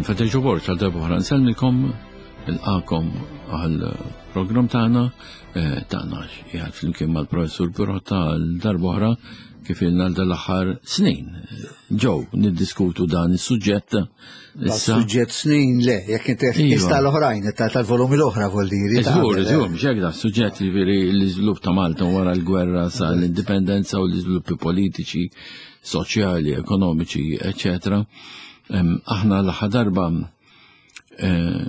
Jien Federico Borg għal darba oħra nsellmilkom nilqakom għal programm tagħna eh, tagħna qiegħed flimkien mal-professur Pirotta għal darba oħra kif ilna għal dal-aħħar snin. Ġew niddiskutu dan is-suġġett. Issa suġġett snin le, jekk inti iva. ista l-oħrajn, tal-volumi l-oħra vol diri. Żgur, żgur, mhux hekk da suġġett jiġifieri l-iżvilupp ta' Malta wara l-gwerra sa l-indipendenza u l-iżviluppi politiċi, soċjali, ekonomiċi, eċċetera. Aħna l-aħħar darba eh,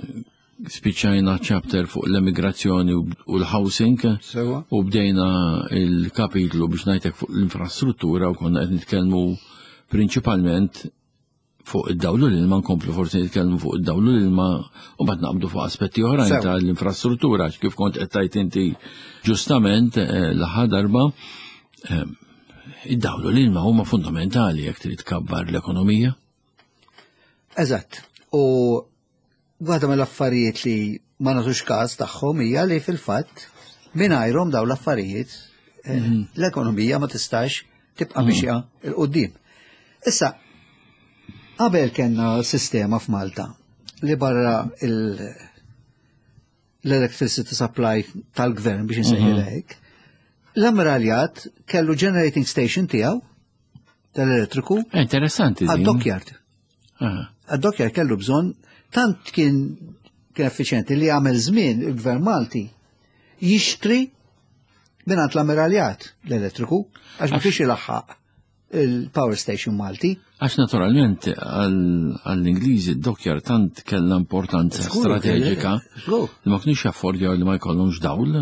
spiċċajna chapter fuq l-emigrazzjoni u l-housing u bdejna il-kapitlu biex ngħidlek fuq l-infrastruttura u konna qed nitkellmu prinċipalment fuq id-dawlu l-ilma nkomplu forsi nitkellmu fuq id-dawlu l-ilma u bad naqbdu fuq aspetti oħrajn tal-infrastruttura kif kont qed tajt inti ġustament eh, l-aħħar darba eh, id-dawlu l-ilma huma fundamentali jekk trid tkabbar l-ekonomija. Eżatt. U waħda mill-affarijiet li ma nagħtux każ tagħhom hija li fil-fatt mingħajrhom dawn l-affarijiet eh, mhm. l-ekonomija ma tistax tibqa' mhm. mixja il qudiem Issa, qabel kellna sistema f'Malta li barra l-electricity supply tal-gvern biex insejħilha mhm. hekk, l-ammiraljat kellu generating station tiegħu tal-elettriku. Eh, interessanti. Għad-dockyard. Għad-dockyard kellu bżonn tant kien kien effiċjenti li għamel żmien il-gvern Malti jixtri mingħand l-ammiraljat l-elettriku għax ma kienx ilaħħaq il-power station Malti. Għax naturalment għall-Ingliżi d-dockyard tant kellha importanza strateġika li ma kienx jaffordjaw li ma jkollhomx dawl.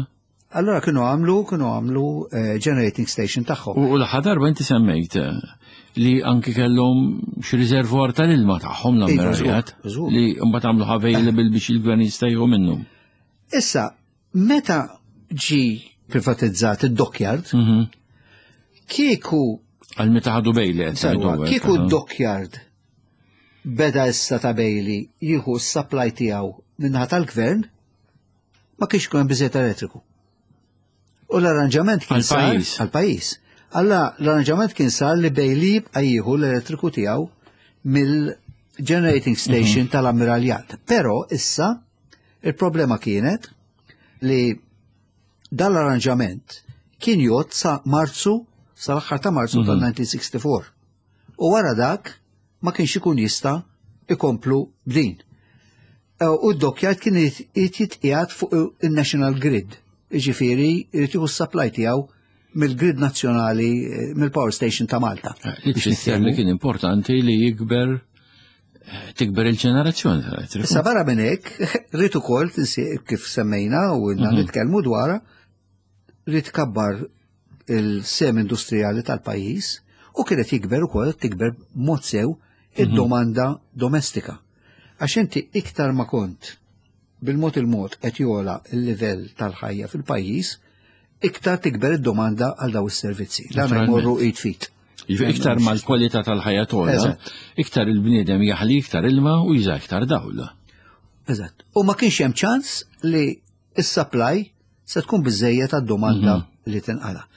Allora kienu għamlu, kienu għamlu eh, generating station tagħhom. U l-aħħar darba inti semmejt eh, li anki kellhom xi riservwar tal-ilma tagħhom iva, l-ammirajat li mbagħad għamlu available biex il-gvern jista' jieħu minnhom. Issa, meta ġi privatizzat id-dockyard, kieku Għal meta ħadu Bailey. Kieku d-dockyard beda issa ta' Bailey jieħu s-supply tiegħu minnaħa tal-gvern, ma kienx ikun hemm biżejjed elettriku. U l-arranġament kien sar għall-pajjiż. Alla l-arranġament kien sar li Bailey jibqa' jieħu l-elettriku tiegħu mill-generating station mhm. tal-ammiraljat. Però issa il-problema kienet li dan l-arranġament kien jgħod sa Marzu sal-aħħar ta' Marzu mhm. tal-1964. U wara dak ma kienx ikun jista' ikomplu b'din. Eh, u d-dockyard kien irid jitqiegħed fuq il-National Grid. Jiġifieri jrid jieħu s-supply tiegħu mill-grid nazzjonali eh, mill-power station ta' Malta. Eh, li tfisser li kien importanti li jikber tikber il-ġenerazzjoni tal-elettriku. Issa barra minn hekk, rrid ukoll kif semmejna u ilna mhm. nitkellmu dwarha, rrid kabbar il-sem industrijali tal-pajjiż u kienet jikber ukoll tikber mod sew mhm. id-domanda domestika. Għax inti iktar ma kont bil-mod il-mod qed jola l-livell tal-ħajja fil-pajjiż, iktar tikber id-domanda għal daw is-servizzi. Dan jmorru id fit. Jiġifieri iktar ma l-kwalità tal-ħajja togħla, iktar il-bniedem jaħli iktar ilma u juża iktar dawl. Eżatt. U ma kienx hemm ċans li is-supply se tkun biżejjed għad-domanda mhm. li tinqala.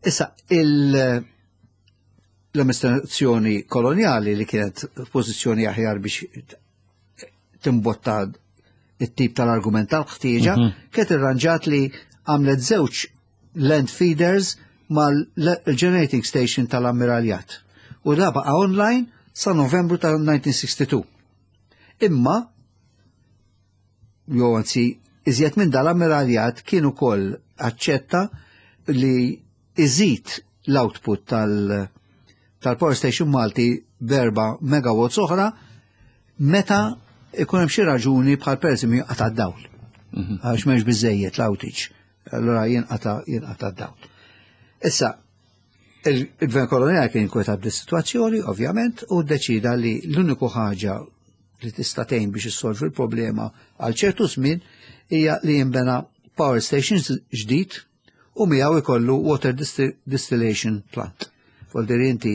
Issa il- l-amministrazzjoni koloniali li kienet f'pożizzjoni aħjar biex timbotta it-tip tal-argument tal-ħtieġa, mhm. kienet irranġat li għamlet żewġ land feeders mal-generating station tal-ammiraljat. U da baqa online sa novembru tal-1962. Imma jew anzi iżjed minn dal-ammiraljat kien ukoll aċċetta li iżid l-output tal- tal-Power Station Malti berba megawatts oħra meta ikun hemm xi raġuni bħal pereżempju jinqata' d-dawl. Mhm. Għax m'hemmx biżejjed l-outage. Allura jinqata' jinqata' d-dawl. Issa, il-gvern koloniali kien inkwetat bis-sitwazzjoni, ovvjament, u ddeċida li l-uniku ħaġa li tista' tgħin biex issolvi l-problema għal ċertu żmien hija li jinbena power station ġdid u miegħu jkollu water distillation plant. Voldir inti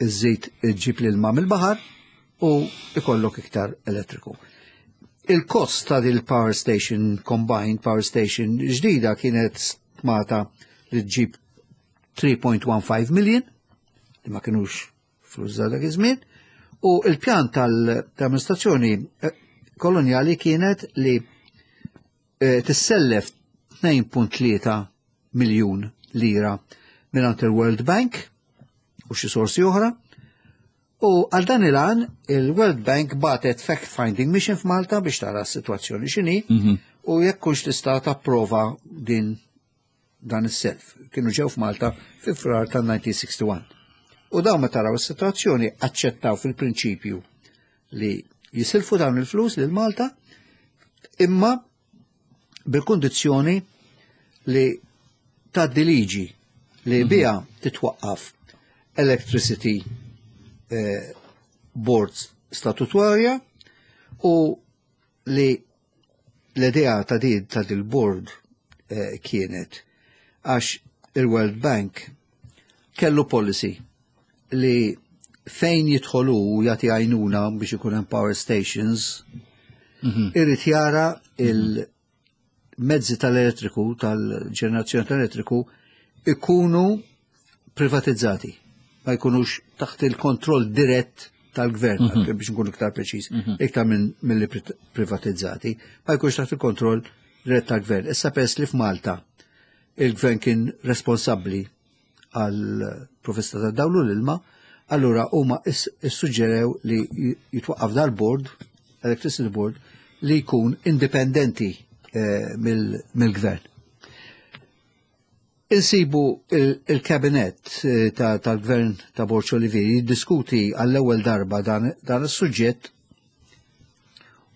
iżżid iġġib l-ilma mill-baħar u ikollok iktar elettriku. Il-kost ta' il power station combined power station ġdida kienet stmata li ġġib 3.15 million li ma kienux flus dak iż-żmien. U il-pjan tal-amministrazzjoni eh, kolonjali kienet li eh, tissellef 2.3 miljun lira mingħand il-World Bank u xi sorsi oħra. U għal dan il-għan il-World Bank batet fact-finding mission f'Malta biex tara s-sitwazzjoni x'inhi mhm. u jekk hux tista' tapprova din dan is-self. Kienu ġew f'Malta fi Frar tal-1961. U dawn meta raw is-sitwazzjoni aċċettaw fil-prinċipju li jisilfu dawn il-flus lil Malta imma bil-kundizzjoni li tgħaddi liġi li mhm. biha titwaqqaf electricity eh, boards statutorja u li l-idea ta' din ta' dil-board eh, kienet għax il-World Bank kellu policy li fejn jidħolu jagħti għajnuna biex ikun hemm power stations, mhm. irid jara il-mezzi tal-elettriku, tal-ġenerazzjoni tal-elettriku, ikunu privatizzati, ma jkunux taħt il-kontroll dirett tal-gvern, mm -hmm. biex nkun iktar preċiż, mm -hmm. iktar minn mill privatizzati, ma jkunx taħt il-kontroll dirett tal-gvern. Issa pers li f'Malta il-gvern kien responsabbli għal provvista ta' dawlu l-ilma, allura huma issuġġerew li jitwaqqaf dal-board, Electricity Board, li jkun indipendenti eh, mill-gvern. Insibu il-kabinet eh, tal-gvern ta' Borċ Olivier jiddiskuti għall-ewwel darba dan is-suġġett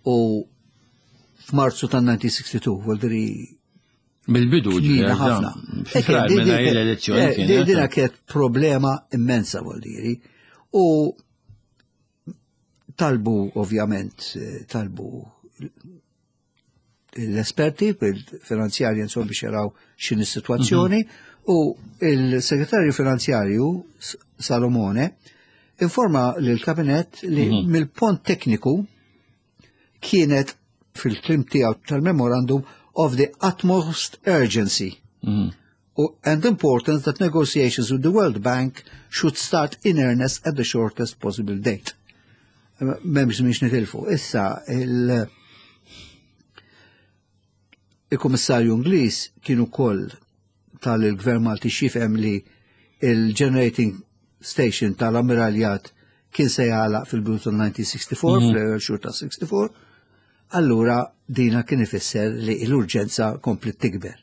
u f'Marzu tan-1962, vuol Mill-bidu ġifieri ħafna. L-elezzjoni. Eh, dina kienet problema immensa vuol diri. U talbu ovvjament, eh, talbu l-esperti fil-finanzjarji insomma biex jaraw x'in is-sitwazzjoni mhm. u il-segretarju finanzjarju Salomone informa lill-kabinet li mhm. mill-pont tekniku kienet fil-klim tiegħu tal-memorandum of the utmost urgency mm. and importance that negotiations with the World Bank should start in earnest at the shortest possible date. Memx miex nitilfu. Issa, il- il-Kummissarju Ingliż kien ukoll tal-Gvern Malti xifhem li il-generating station tal-Ammiraljat kien se jagħlaq fil-bidu tal-1964, mhm. fl-ewwel xhur ta' 64, allura dina kien ifisser li l-urġenza komplet tikber.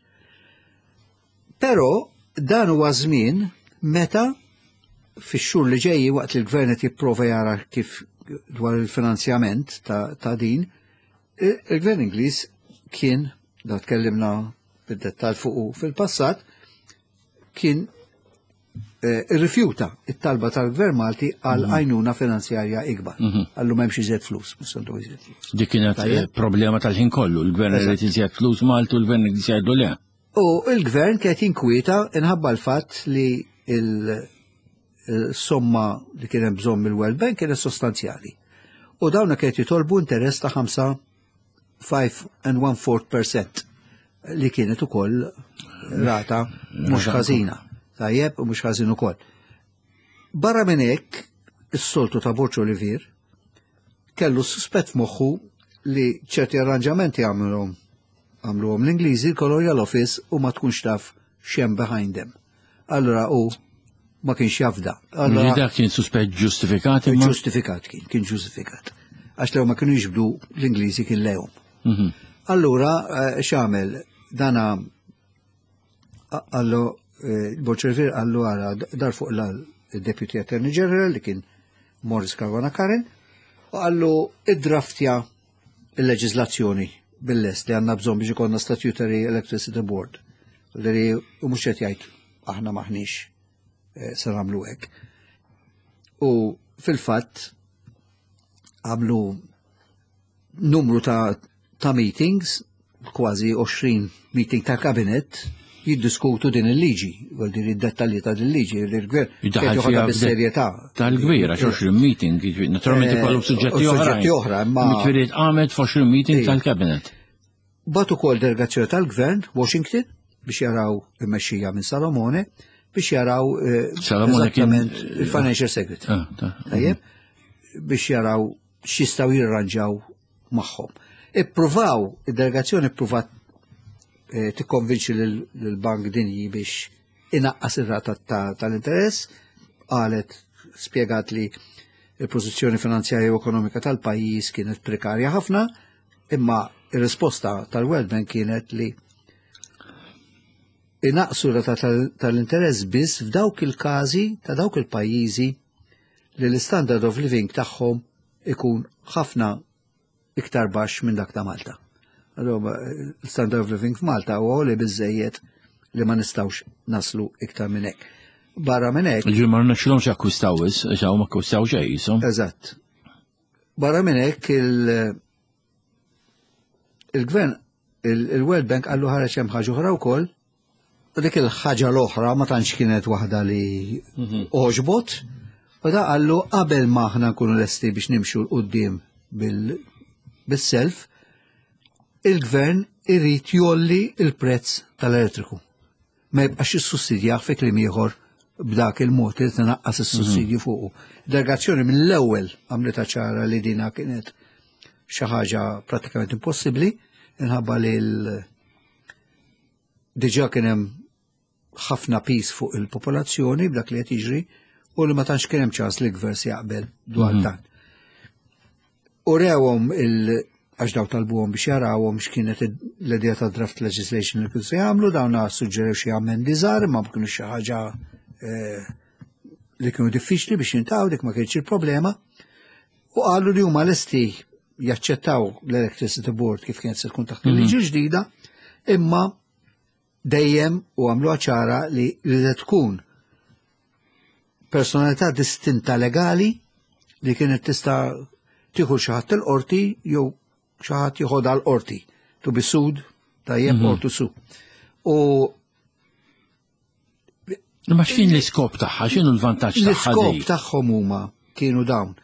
Però dan huwa żmien meta fix-xhur li ġejji waqt li l-gvern qed jipprova jara kif dwar il-finanzjament ta', ta din, il-gvern Ingliż kien, da tkellimna bid-dettal fuqu fil-passat, kien eh, irrifjuta it-talba tal-Gvern Malti għal mhm. għajnuna finanzjarja ikbar. Mhm. Għallu m'hemmx iżjed flus, mhux għandu iżjed flus. Dik kienet eh, problema tal-ħin kollu, l-gvern irid iżjed flus Malti u l-gvern irid jgħidlu le. U l-gvern kienet jinkwieta inħabba l-fatt li il-somma li kien hemm bżonn mill-World Bank kienet sostanzjali. U dawna kienet jitolbu interess ta' 5 5 and 1 fourth percent li kienet ukoll rata mhux ħażina. Tajjeb u mhux ħażin ukoll. Barra minn hekk, is-soltu ta' Borġ Olivier kellu suspett f'moħħu li ċerti arranġamenti għamluhom għamluhom l-Ingliżi l-Colonial Office u ma tkunx taf xem behind them. Allura u ma kienx jafda. Allura dak kien suspett ġustifikat imma? Ġustifikat kien, kien ġustifikat. Għax lew ma kienu jiġbdu l-Ingliżi kien lehom. Mhm. Allura eh, x'għamel dana għallu eh, Boċervir għallu għara dar fuq l-Deputy Attorney General li kien Morris Caruana Karen u għallu id-draftja il-leġizlazzjoni bil-lest li għanna bżon biex ikonna Statutory Electricity Board. Li u mhux qed jgħid aħna maħniex eh, se nagħmlu hekk. U fil-fatt għamlu numru ta', ta meetings, kważi 20 meeting ta' kabinet, jiddiskutu din il-liġi, għal din id-dettalji ta' din il-liġi, il-gvern Jiddaħħal fiha bis-serjetà. Tal-kbir, għax 20 meeting, naturalment eh, ikollu suġġetti oħra. Suġġetti oħra, imma. Jiġifieri tqamet f'20 meeting tal-kabinet. Bat ukoll delegazzjoni tal-gvern, Washington, biex jaraw immexxija minn Salomone, biex jaraw eh, Salomone kien il-Financial Secretary. Ah, Tajjeb. biex jaraw x'jistgħu jirranġaw magħhom. Ippruvaw, id-delegazzjoni ippruvat eh, tikkonvinċi lill-Bank Dinji biex inaqqas ir-rata tal-interess, qalet spjegat li il-pożizzjoni finanzjarja u ekonomika tal-pajjiż kienet prekarja ħafna, imma ir-risposta tal-World Bank kienet li inaqsu rata tal-interess biss f'dawk il-każi ta' dawk il-pajjiżi li l-standard of living tagħhom ikun ħafna iktar baxx minn dak ta' Malta. Allora, l-standard of living f'Malta huwa li biżejjed li ma nistgħux naslu iktar minn hekk. Barra minn hekk. Ġi ma rnexxilhomx akkwistaw is, għax ma akkwistaw xejn jisom. Eżatt. Barra minn hekk il-gvern il-World Bank qallu ħareġ hemm ħaġa oħra wkoll U dik il-ħaġa l-oħra ma tantx kienet waħda li mhm. oġbot, u da qallu qabel ma aħna nkunu lesti biex nimxu l-qoddim bil-self, il-gvern irrid jolli il-prezz tal-elettriku. Ma jibqax jissussidjah fi kliem ieħor b'dak il-mod li tnaqqas is-sussidju mhm. fuqu. Delegazzjoni mill-ewwel għamlitha ċara li dina kienet xi ħaġa pratikament impossibbli minħabba li l diġà kien hemm ħafna pis fuq il-popolazzjoni b'dak li qed jiġri u li ma tantx kien hemm ċans li l-gvern se jaqbel dwar mhm. dan. U rewhom il għax daw talbuhom biex jarawhom x'kienet l-idea ta' draft legislation li kienu se jagħmlu, dawn suġġerew xi amendi żgħar imma kienu xi ħaġa eh, li kienu diffiċli biex jintaw dik ma kienx il-problema. U qalu li huma lesti jaċċettaw l-Electricity Board kif kienet se tkun taħt il-liġi mhm. ġdida, imma dejjem u għamlu ċara li li tkun personalità distinta legali li kienet tista' tieħu xi ħadd il-qorti jew xi ħadd jieħodha l-qorti to be sued tajjeb mm -hmm. or to sue. U Imma x'kien l-iskop tagħha, x'inhu l-vantaġġ tagħha? L-iskop tagħhom huma kienu dawn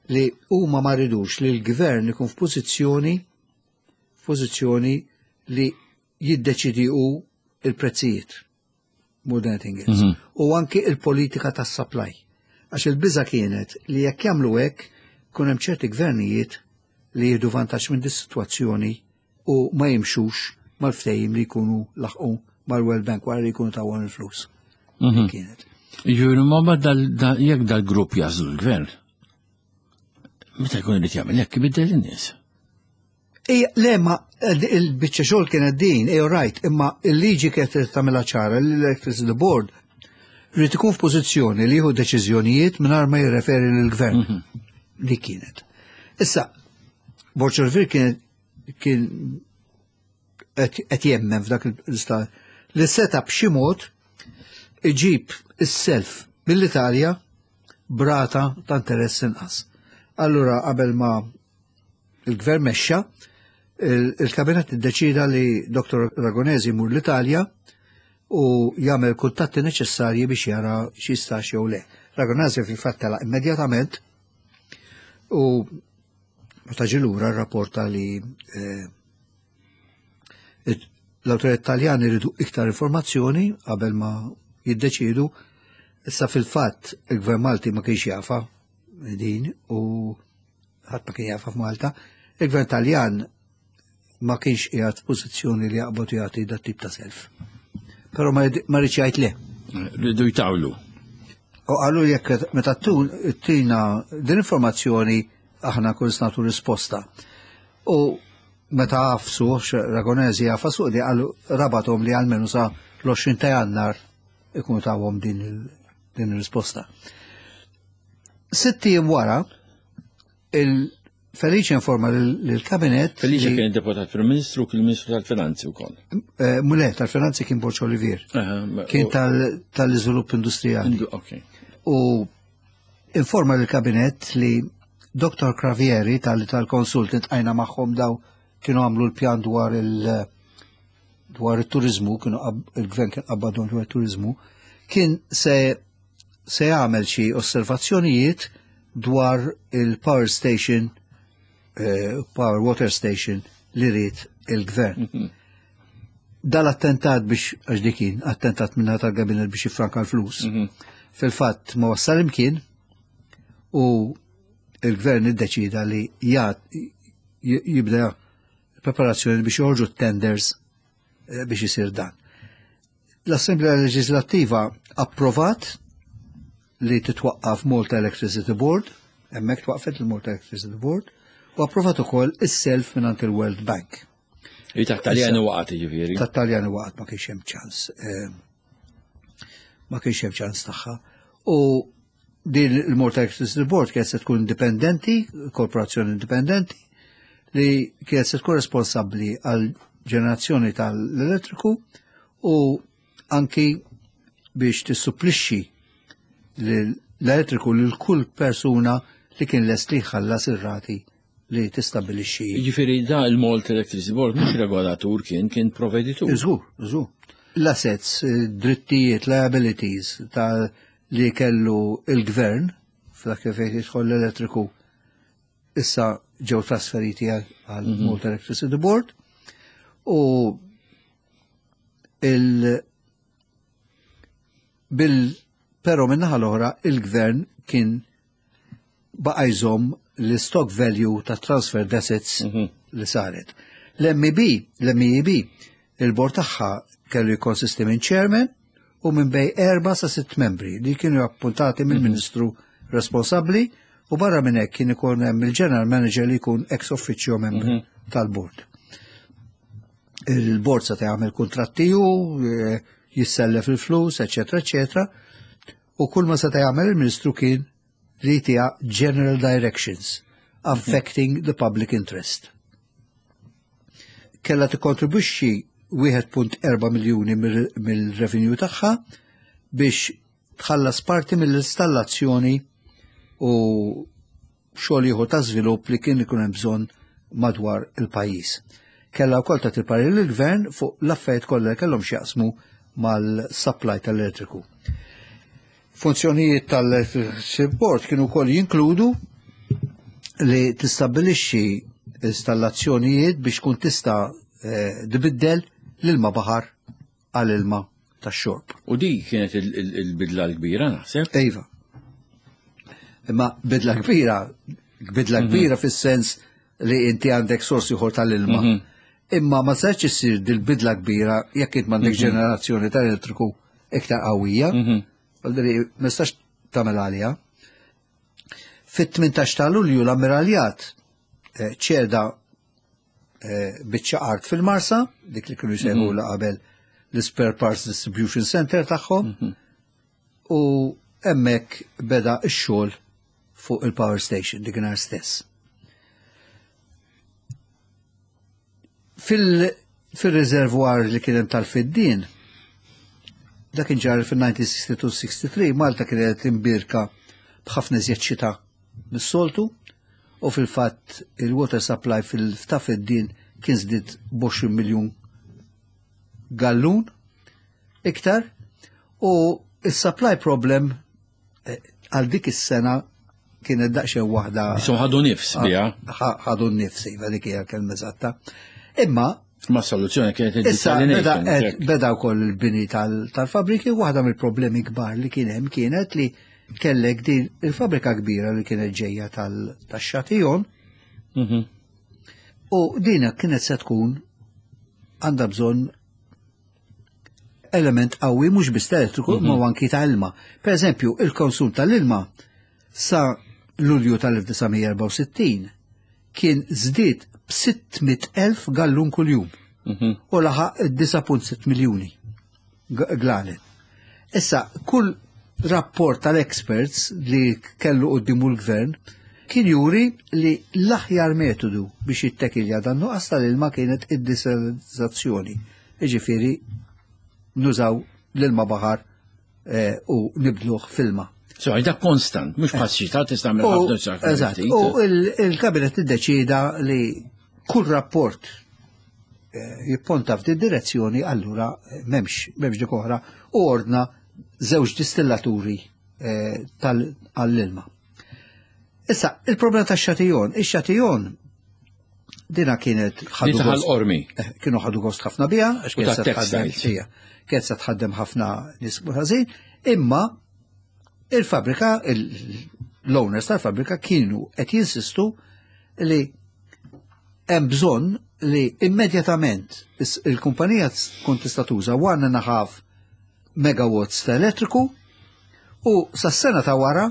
li huma ma ridux li l-gvern ikun f'pożizzjoni f'pożizzjoni li jiddeċidi hu il-prezzijiet more than anything else. Mm -hmm. U anki il-politika tas-supply. Għax il-biża kienet li jekk jagħmlu hekk kun hemm ċerti gvernijiet li jieħdu vantaġġ minn dis-sitwazzjoni u ma jimxux mal-ftehim li jkunu laħqu mal-World Bank wara li jkunu tawhom il-flus. Mhm. Kienet. Jiġifieri ma jekk dal-grupp jażlu l-gvern, meta jkun irid jagħmel hekk ibiddel in-nies. Ija, le, ma il-biċċa xogħol kienet din, ej right, imma il-liġi kienet tagħmilha ċara li l-Electricity Board rrid ikun f'pożizzjoni li jieħu deċiżjonijiet mingħajr ma jirreferi lill-gvern. Mhm. Li kienet. Issa, Borg Olivier kien kien qed jemmen f'dak l-istat li seta b'xi mod iġib is-self mill-Italja brata ta' interess inqas. Allura qabel ma il-gvern mexxa, il-kabinet iddeċida li Dr. Ragonesi jmur l-Italja u jagħmel kuntatti neċessarji biex jara x'jistax jew le. Ragonesi fil-fatt telaq immedjatament u Meta ġie lura rrapporta li eh, l-awtoritajiet Taljani jridu iktar informazzjoni qabel ma jiddeċiedu. Issa fil-fatt il-Gvern Malti ma kienx jafa din u ħadd ma kien jafa f'Malta. Il-Gvern Taljan ma kienx qiegħed f'pożizzjoni li jaqbad jagħti dat tip ta' self. Però ma rridx jgħid le. Rridu jtawlu. U qalu jekk meta tina din informazzjoni aħna kull nagħtu risposta. U meta għafsu, Ragonesi għafasu di għallu rabatom li għalmenu sa l-20 ta' jannar ikunu tawhom din il-risposta. Sitti wara, il-Felice informa l-kabinet. Felice kien deputat Prim Ministru, kien Ministru tal-Finanzi wkoll. Eh, Mule, tal-Finanzi kien Borċ Olivier. Kien tal-iżvilupp industrijali. U informa l-kabinet li Dr. Cravieri tal-consultant għajna magħhom daw kienu għamlu l-pjan dwar il- dwar il-turizmu, kienu il-gvern kien qabbadhom dwar il-turizmu, kien se se jagħmel xi osservazzjonijiet dwar il-power station, eh, power water station li ried il-gvern. Mhm. Dal-attentat biex, għax dikin, attentat minna tal-gabinet biex jiffranka l-flus. Mhm. Fil-fatt ma wassal imkien u il-gvern iddeċida li jibda preparazzjoni biex joħorġu tenders eh, biex isir dan. L-Assemblea Leġislattiva approvat li titwaqqaf Malta Electricity Board, hemmhekk twaqqfet il-Malta Electricity Board, u approvat ukoll is-self mingħand il-World Bank. Li ta' Taljani waqgħet jiġifieri. Ta' Taljani waqgħet ma kienx hemm ċans. Eh, ma kienx hemm ċans tagħha. U din il-Malta Electricity Board kienet se tkun indipendenti, korporazzjoni indipendenti, li kienet se tkun responsabbli għal ġenerazzjoni tal-elettriku u anki biex tissupplixxi l-elettriku lil kull persuna li kien lest li jħallas ir-rati li tistabbilixxi. Jiġifieri da il-Malta Electricity Board mhux regolatur kien, kien proveditur. Żgur, żgur. L-assets, drittijiet, liabilities ta' li kellu il-gvern f'dak kif jidħol l-elettriku issa ġew trasferiti għal mhm. Malta Electricity Board u il bil però minnaħa l-oħra il-gvern kien baqa' jżomm l-stock value ta' transferred assets mhm. li saret. L-MEB, l-MEB, il-bord tagħha kellu jikkonsisti minn chairman u minn bej erba sa sitt membri li kienu appuntati mill-mhm. ministru responsabbli u barra minn hekk kien ikun hemm il-general manager li jkun ex officio member mhm. tal-bord. Il-bord sa jagħmel kuntratti u eh, jissellef il-flus, eċetera, eċetera. U kull ma seta' jagħmel il-Ministru kien li jtiha general directions affecting the public interest. Kella tikkontribwixxi 1.4 miljuni mill-revenue tagħha biex tħallas parti mill-installazzjoni u xogħol ieħor ta' żvilupp li kien ikun hemm bżonn madwar il-pajjiż. Kellha wkoll tagħti parir lill-gvern fuq l-affarijiet kollha li kellhom x'jaqsmu mal-supply tal-elettriku. Funzjonijiet tal-Electricity Board kienu wkoll jinkludu li tistabbilixxi installazzjonijiet biex tkun tista' eh, tbiddel l-ilma baħar għal ilma tax-xorb. U di kienet il-bidla l-kbira naħseb? Iva. Imma bidla kbira, bidla mhm. kbira fis-sens li inti għandek sorsi ieħor tal-ilma. Mhm. Imma ma sarx issir dil-bidla kbira jekk int m'għandek mhm. ġenerazzjoni tal-elettriku iktar qawwija. Għaldri, ma nistax tagħmel għalija. Fit-18 ta' Lulju l-ammiraljat eh, ċeda eh, biċċa art fil-Marsa, dik li kienu jsejħu la qabel l-Spare Parts Distribution Center tagħhom, u hemmhekk beda x-xogħol fuq il-power station dik nhar stess. Fil-reservoir li kien hemm tal-fiddien, dak kien ġar fil-1962-63, Malta kienet imbirka b'ħafna iżjed xita mis-soltu u fil-fatt il-water supply fil-ta' fiddien kien żdied b'20 miljun gallun iktar u il-supply problem eh, għal dik is-sena kienet daqsxejn waħda. Isom ħadu nifs biha. Ħadu nifs, iva dik hija kelma eżatta. Imma Ma soluzzjoni kienet Issa beda, beda wkoll il-bini tal-fabriki, waħda mill-problemi kbar li kien hemm kienet li kellek din il-fabrika kbira li kienet ġejja tal-xatijon. Mhm. U dina kienet se tkun għandha bżonn element qawwi mhux biss elettriku mm -hmm. ma anki ta' ilma. Per eżempju, il-konsum tal-ilma sa Lulju tal-1964 kien żdied b'600,000 gallun kuljum mm -hmm. u laħaq 9.6 miljuni glalen. Issa, kull rapport tal-experts li kellu quddiemu l-gvern kien juri li l-aħjar metodu biex jittekilja dan nuqqas tal-ilma kienet id-desalinizzazzjoni. Jiġifieri nużaw l-ilma baħar eh, u nibdluh f'ilma. So, dak konstant, mhux bħal xita tista' tagħmel ħafna Eżatt, u il-kabinet iddeċida li kull rapport eh, jipponta f'din direzzjoni, allura eh, m'hemmx m'hemmx dik oħra u ordna żewġ distillaturi tal-ilma. Issa, il-problema ta' xatijon, ix-xatijon dina kienet ħadu ormi. Eh, kienu ħadu gost ħafna biha, għax kienet se tħaddem kienet se tħaddem ħafna nies ħażin, imma il-fabrika L-owners tal-fabbrika kienu qed jinsistu li hemm bżonn li immedjatament il-kumpanija tkun tista' tuża 1.5 megawatts ta' elettriku u sas-sena ta' wara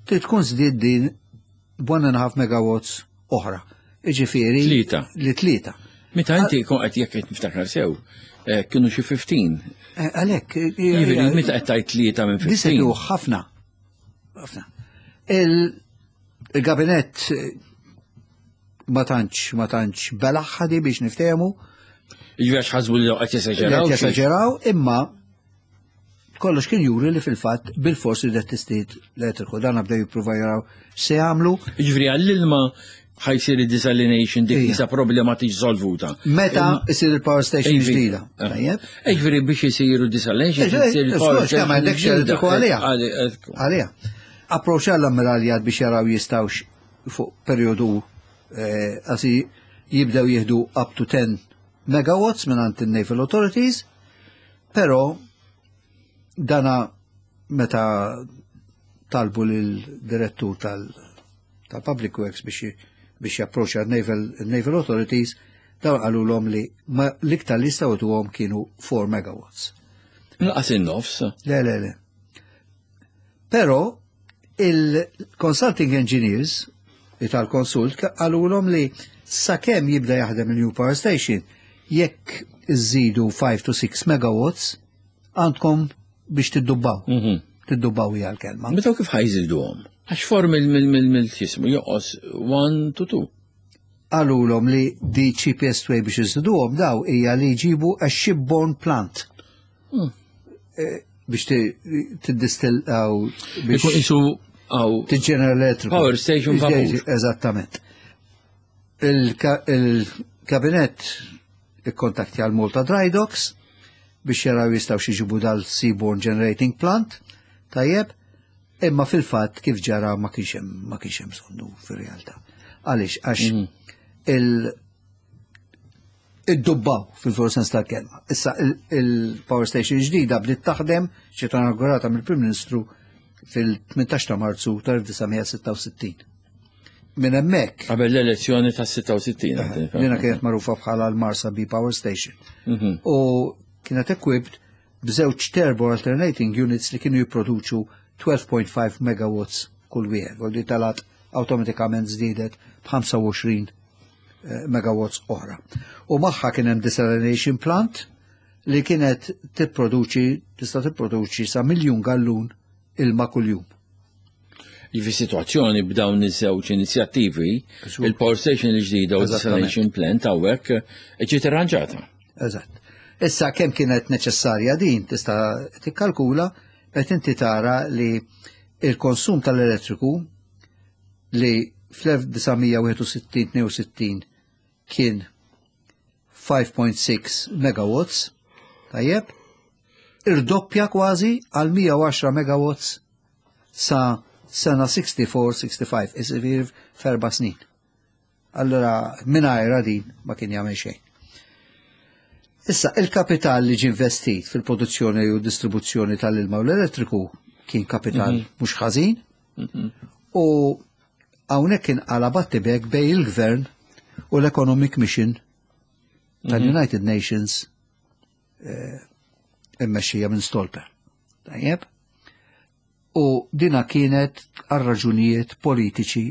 trid tkun żdied din 1.5 megawatts oħra. Iġifieri tlieta. Li tlieta. Meta inti kon qed jekk qed niftakar sew, eh, kienu xi 15. Eh, għalhekk. Eh, jiġifieri meta qed tgħid tlieta minn 15. Disedu ħafna. Ħafna. Il-gabinett ma tantx ma tantx belaħħadi biex niftehmu. Jiġifieri għax ħasbu li qed jesaġeraw. Qed jesaġeraw, imma kollox kien juri li fil-fatt bil-fors li tistiet l-elettriku. Dan bdew jippruva jaraw se jagħmlu. Jiġifieri għall-ilma ħajsir id-desalination dik isa problema tiġi solvuta. Meta isir il-power station ġdida. Eh. Tajjeb. Jiġifieri biex isiru desalination isir il-power station. Ma għandekx elettriku għalija. Għalija. Approċċa l-ammiraljat biex jaraw jistawx fuq periodu eh, għasi jibdew jieħdu up to 10 megawatts minn għand il-Naval Authorities, pero dana meta talbu lil-direttur tal-Public Works biex biex japproċċa naval, naval Authorities, dawn qalulhom li l-iktar li jistgħu tuhom kienu 4 megawatts. Naqas in-nofs. Le, le, le. Però il-consulting engineers li tal-konsult qalulhom li sakemm jibda jaħdem il-new power station, jekk iżidu 5 to 6 megawatts, għandkom biex tiddubbaw. Tiddubbaw hija l-kelma. Meta kif ħajżiduhom? Għax form mill-jismu joqos 1 to 2. Qalulhom li the cheapest way biex iżiduhom daw hija li jġibu a shipborne plant. Eh, biex tiddistillaw biex isu għaw tiġġenera elettriku. Power station vapur. Eżattament. Il-kabinet ikkontaktja l-Malta Dry Docks biex jaraw jistgħu xiġibu dal-Seaborne Generating Plant, tajjeb, imma fil-fatt kif ġara ma kienx hemm ma kienx hemm bżonnu fir-realtà. Għaliex għax il iddubbaw fil-veru sens tal-kelma. Issa il-power station ġdida bdiet taħdem ġiet inaugurata mill-Prim Ministru fil-18 ta' Marzu tal-1966. Minn hemmhekk. Qabel l-elezzjoni ta' 66. Lina kienet magħrufa bħala l-Marsa B Power Station. U kienet equipped b'żewġ turbo alternating units li kienu jipproduċu 12.5 megawatts kull wieħed. U li talat awtomatikament żdiedet b'25 eh, megawatts oħra. U magħha kien hemm desalination plant li kienet tipproduċi tista' tipproduċi sa miljun gallun ilma kuljum. Jifi situazzjoni b'dawn iż-żewġ inizjattivi, il-power station il-ġdida u desalination plant hawnhekk ġiet irranġata. Eżatt. Issa kemm kienet neċessarja din tista' tikkalkula qed inti tara li il-konsum tal-elettriku li fl-1961-62 kien 5.6 megawatts, tajjeb, irdoppja kważi għal 110 megawatts sa sena 64-65, isir f'erba' snin. Allora, mingħajra din ma kien jagħmel xejn. Issa, il-kapital li ġie investit fil-produzzjoni u distribuzzjoni tal-ilma u l-elettriku kien kapital mhux ħażin u hawnhekk kien qala battibek bejn il-gvern u l-Economic Mission tal-United Nations eh, immexxija minn Stolper. Tajjeb? U dina kienet għal raġunijiet politiċi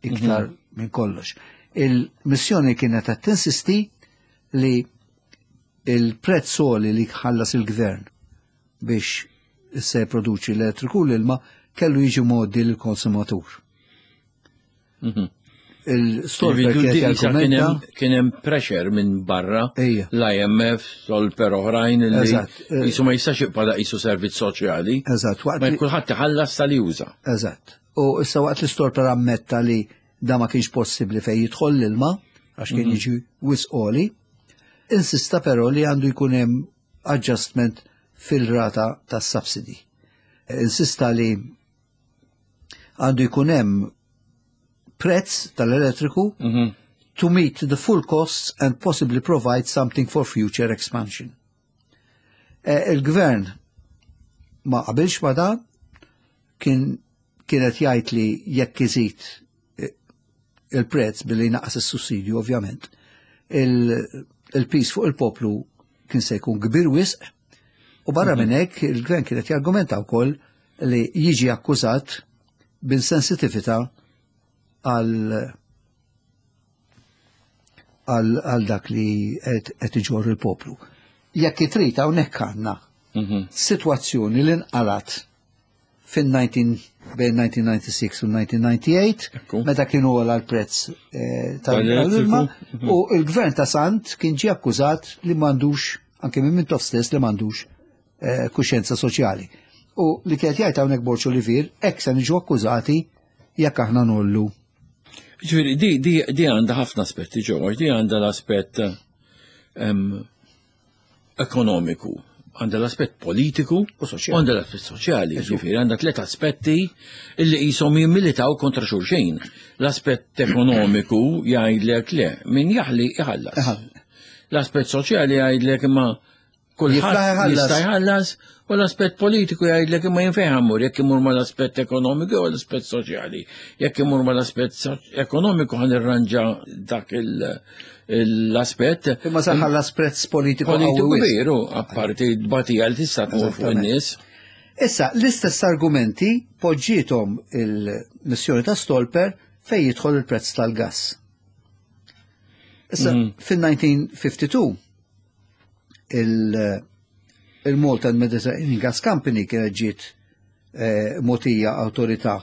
iktar minn kollox. Il-missjoni kienet qed tinsisti li il-prezz soli li ħallas il-gvern biex se produċi l-elettriku l-ilma kellu jiġi mgħoddi l-konsumatur. Il-Stolper kienet jargumenta Kien hemm pressure minn barra Ejja. l-IMF, Stolper oħrajn li Eżatt. jisu ma jistax jibqa' qisu servizz soċjali. Eżatt, waqt Ma li- kulħadd iħallas tal juża. Eżatt. U issa waqt li Stolper ammetta li da ma kienx possibbli fej jidħol l-ilma, għax kien jiġi wisq għoli, insista però li għandu jkun hemm adjustment fil-rata tas subsidy. Insista li għandu jkun hemm prezz tal-elettriku to meet the full costs and possibly provide something for future expansion. Eh, Il-gvern ma qabilx ma dan, kien kienet jgħid li jekk iżid eh, il-prezz billi naqas is-sussidju ovvjament, il-pis fuq il-poplu kien se jkun kbir wisq u barra minn hekk il-gvern kienet jargumenta wkoll li jiġi akkużat b'insensitività għal għal dak li qed iġorr il-poplu. Jekk trid hawnhekk għandna sitwazzjoni li nqalat fin-19 bejn 1996 u 1998 Ekku. meta kienu għola l-prezz eh, tal-ilma Tal-elettriku. u il-gvern ta' Sant kien ġie akkużat li m'għandux anke minn Mintoff stess li m'għandux eh, kuxjenza soċjali. U li kienet jgħid hawnhekk Borg Olivier hekk se niġu akkużati jekk aħna nollu. Ġifieri, di, di, di għandha ħafna aspetti ġewwa, di għandha l-aspett em, ekonomiku, għandha l-aspett politiku U soċjali. u għandha l-aspett soċjali. Ġifieri, għandha tliet aspetti illi qishom jimmilitaw kontra xulxin. L-aspett ekonomiku jgħidlek le, min jaħli jħallas. Iħallas. L-aspett soċjali jgħidlek imma Jiflaħ kulħadd iħallas. jista' jħallas u l-aspett politiku jgħidlek imma jien fejn ħammur jekk imur mal-aspett ekonomiku u l-aspett soċjali. Jekk imur mal-aspett so- ekonomiku ħan irranġa dak il- l-aspett Imma se ħallas prezz politiku politiku qawwi wisq. kbir u apparti d-batija li tista' tmur fuq Eżattament. in-nies. Issa, l-istess argumenti poġġietom il-missjoni ta' Stolper fej jidħol il-prezz tal-gas. Issa, fin-1952 il- il-Malta and Mediterranean Gas Company kienet ġiet eh, motija autorità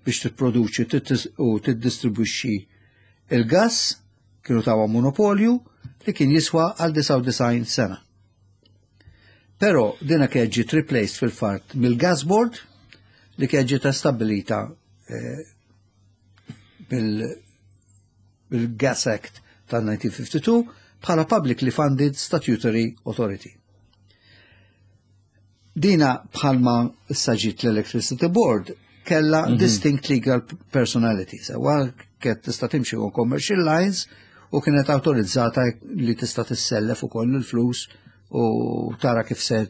biex tipproduċi tittis- u tiddistribwixxi il-gas, kienu tawa monopolju li kien jiswa għal 99 sena. Però dina kienet ġiet replaced fil-fatt mill-gas board li kienet ġiet stabilita eh, bil- bil-Gas Act tal-1952 bħala Publicly Funded Statutory Authority. Dina bħalma issa ġiet l-Electricity Board kella distinct legal personality. Sewa kienet tista' timxi on commercial lines u kienet autorizzata li tista' tissellef ukoll il-flus u tara kif se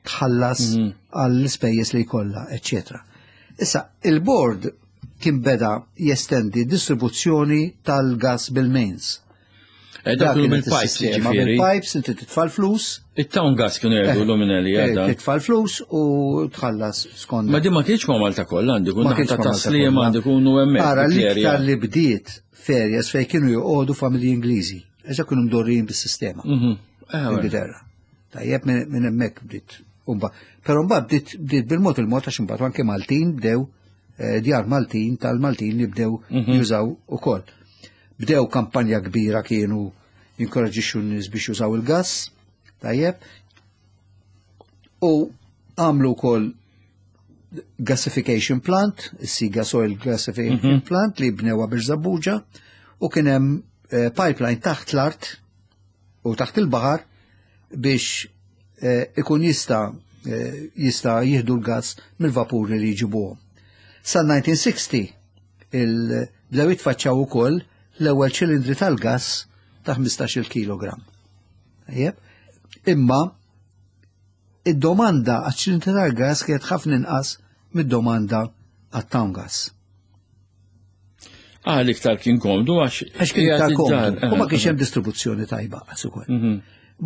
tħallas għall-ispejjeż li jkollha, eċċetera. Issa, il-board kien beda jestendi distribuzzjoni tal-gas bil-mains. Eh, Dak kienu kienet bil-pipes is-sistema, ġifieri. Bil-pipes, inti titfa' l-flus, It-town gas kienu jgħidu l-luminelli eh, għadha. titfa' l-flus u tħallas skont. Ma di ma kienx ma' Malta kollha għandi kun Ma kienx ta' ma' Malta taslima kollha. għandi kunu hemmhekk. Ara dik l-area. l-iktar li bdiet ferjes fej kienu joqogħdu familji Ingliżi. Eża kienu mdorrijin bis-sistema. Mhm. Eh, wara. Ingilterra. Tajjeb minn minn hemmhekk bdiet. Umba. Però mbagħad bdiet bdiet bil-mod il-mod għax imbagħad anke Maltin bdew eh, djar Maltin tal-Maltin li bdew jużaw ukoll. Bdew kampanja kbira kienu jinkoraġixxu n-nies biex jużaw il-gass, tajjeb. U għamlu wkoll gasification plant, is-Siga Soil Gasification Plant li bnewa biex Zabbuġa u kien hemm eh, pipeline taħt l-art u taħt il-baħar biex eh, ikun jista eh, jista jieħdu l-gas mill-vapuri li jġibuhom. Sa 1960 il bdew jitfaċċaw ukoll l-ewwel ċilindri tal-gas ta' 15 kilogram. Tajjeb? Imma id-domanda għaċ-ċilindri tal-gas kienet ħafna inqas mid-domanda għat-town gas. Ah, l-iktar kien komdu għax. Għax kien iktar qiegħed id-dar. komdu. U ma kienx hemm distribuzzjoni tajba għas ukoll.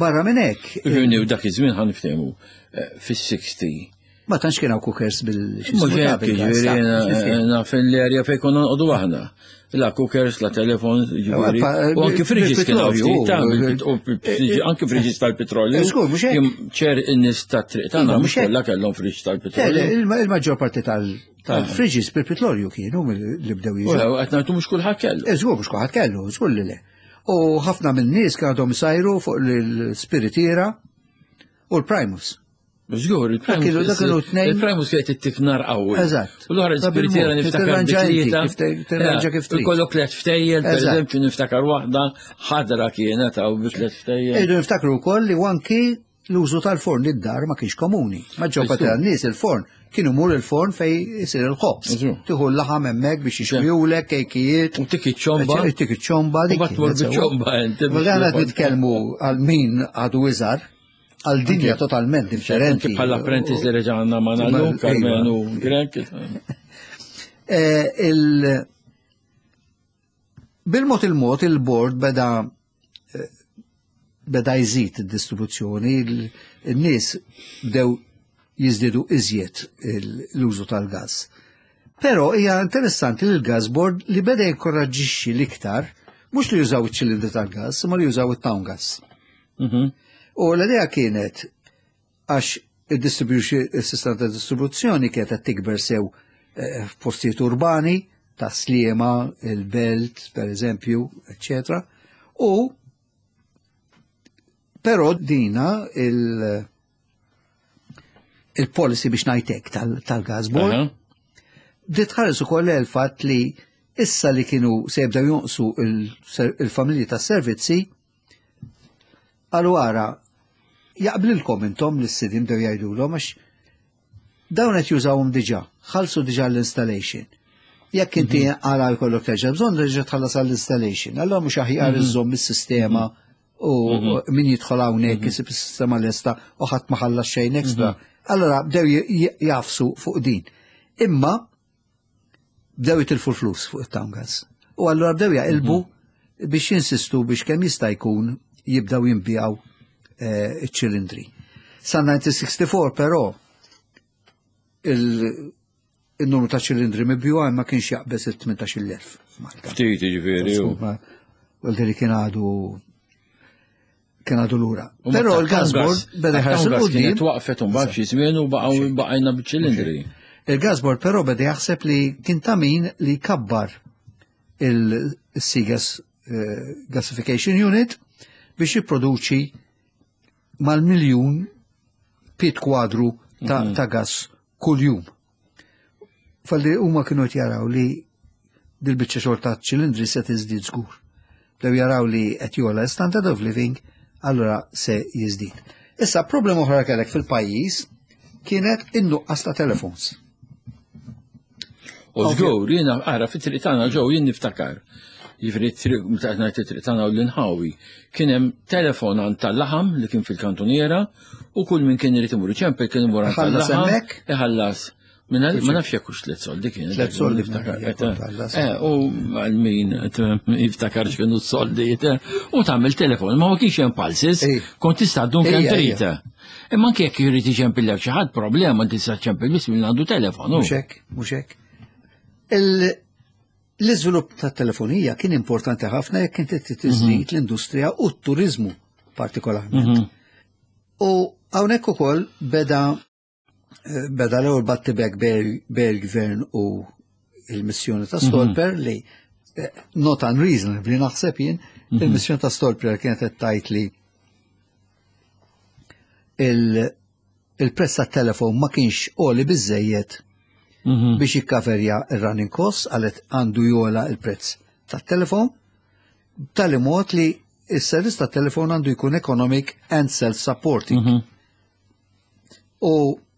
Barra minn hekk, Ġivni u dak iż-żmien ħan niftehmu eh, fis-60. ma tantx kien hawn cookers bil Mhux hekk, ġifieri naf l-area fejn konna noqogħdu aħna. La cookers, la telefon, ġifieri. pa- U anki friġis kien hawn bil-petrolju, ftit, ta' u- bil- u bil- anki friġis tal-petrolju. Eh, żgur, mhux hekk. Jim ċer in-nies tat-triq tagħna Iva, mhux mhux hekk. kollha kellhom friġ tal-petrolju. Il-maġġor parti tal-friġis bil-petrolju kienu mill- li bdew U jiġu. qed ngħidu mhux kulħadd kellu. Eh, Żgur mhux kulħadd kellu, żgur li le. U ħafna minn nies kienu għadhom sajru fuq l-spiritiera u l-primus. Żgur, kienu- dak kienu tnejn- il-primus kienet ittik nar qawwi. Eżatt. U l-oħra Ta' l-spiritiera bil-mod, niftakar tirranġa inti, bitlieta. kif te- tirranġa kif trid. Ikollok tliet ftejjel, per Eżatt. eżempju niftakar waħda ħadra kienet għaw bi tliet ftejjel. Ejdu niftakru wkoll li anki l-użu tal-forn id-dar ma kienx komuni. Maġġor parti tan-nies il-forn kienu mur il-forn fej isir il-ħobż. Eżu. Tieħu l-laħam hemmhekk biex jixwijulek, kejkijiet. U tik iċ-ċomba. Tik iċ-ċomba. U bat tmur biċ-ċomba inti. Ma dan qed nitkellmu għal min għadu iżgħar, għal dinja totalment differenti. Anki bħala apprentice li reġa' għandna ma' nagħmlu, Iva. Karmenu Grek. Eh, Bil-mod il-mod il-bord beda eh, beda jżid id-distribuzzjoni, il-nies bdew jiżdiedu iżjed l-użu tal-gas. Però hija interessanti li l-gas board li beda jinkoraġġixxi l-iktar mhux li jużaw iċ-ċilindri tal-gas, imma li jużaw it-town gas. U l-idea kienet għax il-sistema ta' distribuzzjoni kienet qed tikber sew eh, f'postijiet urbani, ta' Sliema, il-Belt, per eżempju, eccetera. U però dina il- il-policy biex ngħidlek tal-gas board bdiet tħares ukoll il-fatt li issa li kienu se jibdew jonqsu il-familji tas-servizzi qalu ara jaqblilkom intom li s-sidin bdew jgħidulhom għax dawn qed jużawhom diġà, ħallsu diġà l-installation. Jekk inti għala jkollok terġa' bżonn terġa' tħallas għall-installation. Allora mhux aħjar iżżomm is-sistema u min jidħol hawnhekk isib is-sistema lesta u ħadd ma ħallas xejn extra. Allora bdew jafsu fuq din. Imma bdew jitilfu l-flus fuq it-town gas. U allura bdew jaqilbu biex jinsistu biex kemm jista' jkun jibdew jinbijaw eh, iċ-ċilindri. Sa 1964 però il-numru ta' ċilindri mibjuha ma kienx jaqbeż il-18,000 f'Malta. Ftit jiġifieri. U li kien għadu kien għadu lura. Però il-gas board beda jħares 'il quddiem. Kienet waqfet un xi żmien u baqgħu baqajna biċ-ċilindri. Il-gas board però beda jaħseb li kien ta' min li kabbar il-Sigas eh, Gasification Unit biex jipproduċi mal-miljun pied kwadru ta', ta gas kull-jum. Falli huma kienu qed jaraw li dil-biċċa xogħol ta' ċilindri se tiżdied żgur. Bdew jaraw li qed jogħla standard of living, allura se jiżdied. Issa problema oħra kellek fil-pajjiż kienet in-nuqqas ta' telefons. U żgur, jiena ara fit-triq tagħna ġew jien niftakar. Jiġifieri t-triq meta qed ngħid it-triq tagħna u l-inħawi, kien hemm telefon għand tal-laħam li kien fil-kantuniera u kull min kien irid imur iċempel kien imur għand Iħallas tal-laħam. hemmhekk? Iħallas. Ma nafx jekk hux 3 soldi kien. 3 soldi niftakar. tħallas. U għal min jiftakar x'kienu s-soldi. U tagħmel telefon, ma ma kienx hemm pulses, kont tista' ddum kemm trid. Imma anke jekk jrid iċempillek xi ħadd problema tista' ċempel biss min għandu telefon. Mhux hekk, mhux hekk. L-iżvilupp ta' telefonija kien importanti ħafna jekk inti tiżdid l-industrija u t-turizmu partikolarment. U hawnhekk ukoll beda l-ewwel battibek bejn il-gvern u il-missjoni ta' Stolper li not unreasonably naħseb jien, il-missjoni ta' Stolper kienet qed tgħid li il-prezz tat-telefon ma kienx għoli biżejjed biex jikkaverja il-running costs, għalet għandu jogħla il-prezz tat-telefon, tali mod li il-servizz tat-telefon għandu jkun economic and self-supporting. U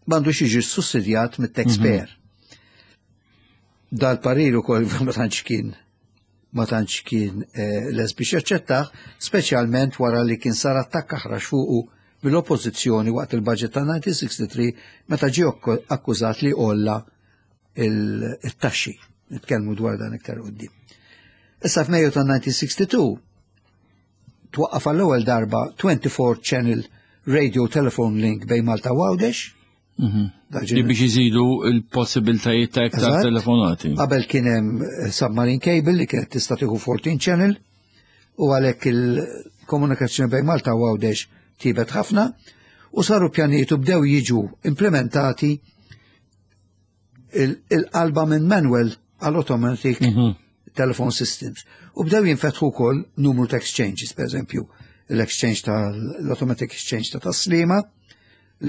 m'għandux jiġi sussidjat mit-taxpayer. Dal-parir ukoll ma tantx kien les biex jaċċettah, speċjalment wara li kien sar attakk aħrax fuqu mill-oppożizzjoni waqt il-budget ta' 1963 meta ġie akkużat li għolla il-taxxi. Nitkellmu dwar dan iktar quddiem. Issa f'Mejju ta' 1962 twaqqaf għall-ewwel darba 24 channel radio telephone link bejn Malta u Għawdex. Li biex iżidu il-possibiltajiet ta' iktar telefonati. Qabel kien hemm submarine cable li kienet tista' tieħu 14 channel u għalhekk il-komunikazzjoni bejn Malta u Għawdex tjiebet ħafna u saru pjanijiet u bdew jiġu implementati il-qalba minn manual għal automatic telephone systems. U bdew jinfetħu wkoll numru ta' exchanges, per eżempju, l-exchange tal-automatic exchange ta' Tas-Sliema